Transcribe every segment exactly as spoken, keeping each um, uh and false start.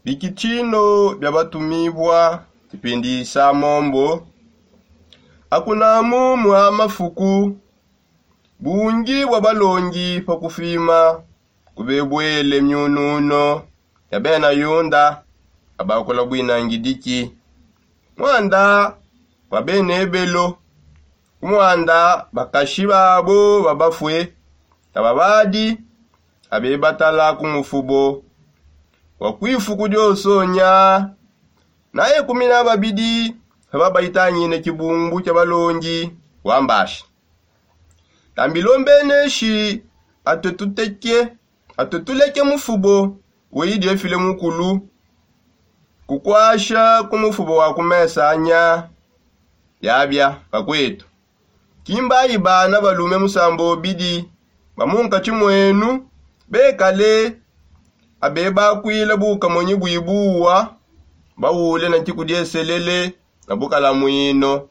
Bikitshino bia batumibua tshipindisa mombo. Akunamu mua mafuku bungi bua balongi pa kufima kubebuele miununo ya bena yunda abakula buinangidiki, muanda bua bena ebelo, ku muanda bakashi babo babafue na babadi abebatala ku mufubo wa kuifuku diosonya. Naye kumi na babidi aba baitangine tshibumbu tshia balongi wambashi. Tambilombeneshi atue tuteke atue tuleke mufubo weyi diefile mukulu kukwasha ku mufubo wa kumesanya. Biabia bakuetu, kimbayi bana balume musambobidi ba munkatshi muenu bekale abebakuila bukamonyi buibuwa, bawule na nkiku dieselele na bukalamuino.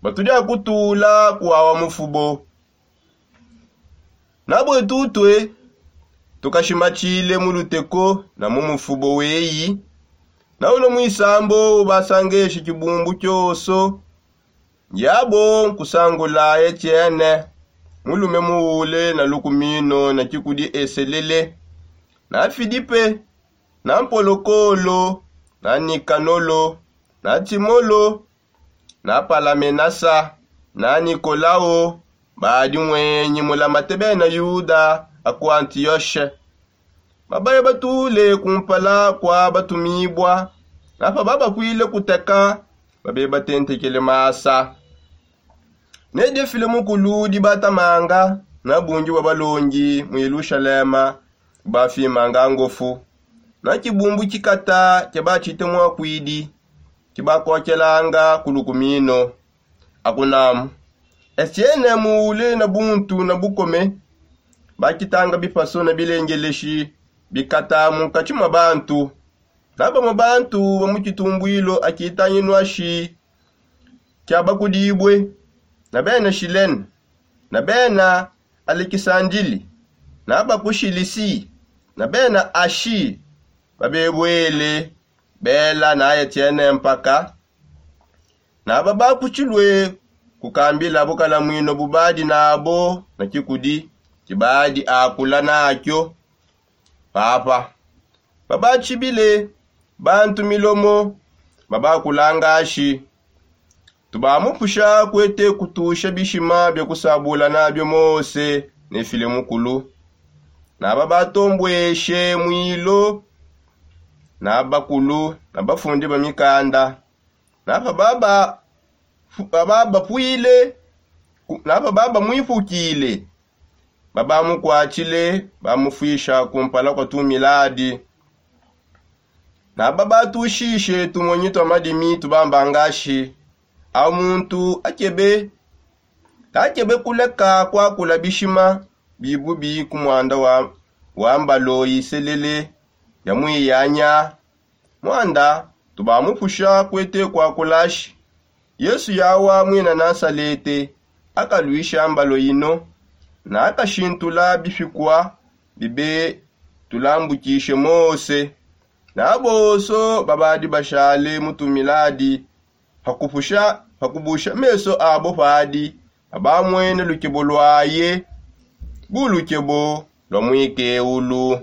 Batudi akutula kuwawa mufubo. Nabue tutue tukashimatshile mu luteko na mu mufubo weyi, na uno muisambo ubasangeshi tshibumbu tshioso. Ndiabo nkusangula etiene, mulume muule na lukumino na tshikudi eselele, na filipe, na mpolokolo, na nikanolo, na timolo, na palamenasa, na nikolao, badi muenyi mulamate bena yuda a ku antiyoshe. Babaya batule kumpala kua batumibua, na pababakuile kuteka, babebatentekele masa. Ne diefile mukulu dibatamanga na bungi bua balongi mu yelushalema bafimanga ngofu, na tshibumbu tshikata tshia batshite muakuidi tshibakokelanga ku lukumino. Akunamu, etiene muule na buntu na bukome, bakitanga bipaso na bilengeleshi bikata munkatshi mua bantu. Na bamue bantu ba mu tshitumbuilo akitanginu ashi kiabakudibue, na bena shilene, na bena alekisandili, na bakushilisi, na bena ashi babebuele bela na etiene mpaka. Na babakutshilue kukambila bukalamuino bubadi nabo na tshikudi tshibadi akula nakio. Papa, babatshibile bantu milomo, babakulangashi, tubamupusha kuete kutusha bishima bia kusabula nabio mose ne file mukulu. Na babatombueshe muilo na bakulu na bafundi ba mikanda, na pababapuile, na pababamuipukile, babamukuatshile, bamufuisha kumpala kua tumiladi. Na babatushishe tumonyi tua madimi tubambangashi, au muntu akebe kakebe kuleka kuakula bishima bibubi ku muanda wa, wa mbalo iselele ya muiyanya. Muanda tubamupusha kuete kuakulashi. Yesu yawa muina nasalete akaluisha mbalo ino, na akashintula bipikua bibe tulambukishe mose. Na bonso babadi bashale mu tumiladi, pakupusha pakubusha meso abo padi, abamuene lukebo luaye, bu lukebo lua muikeulu.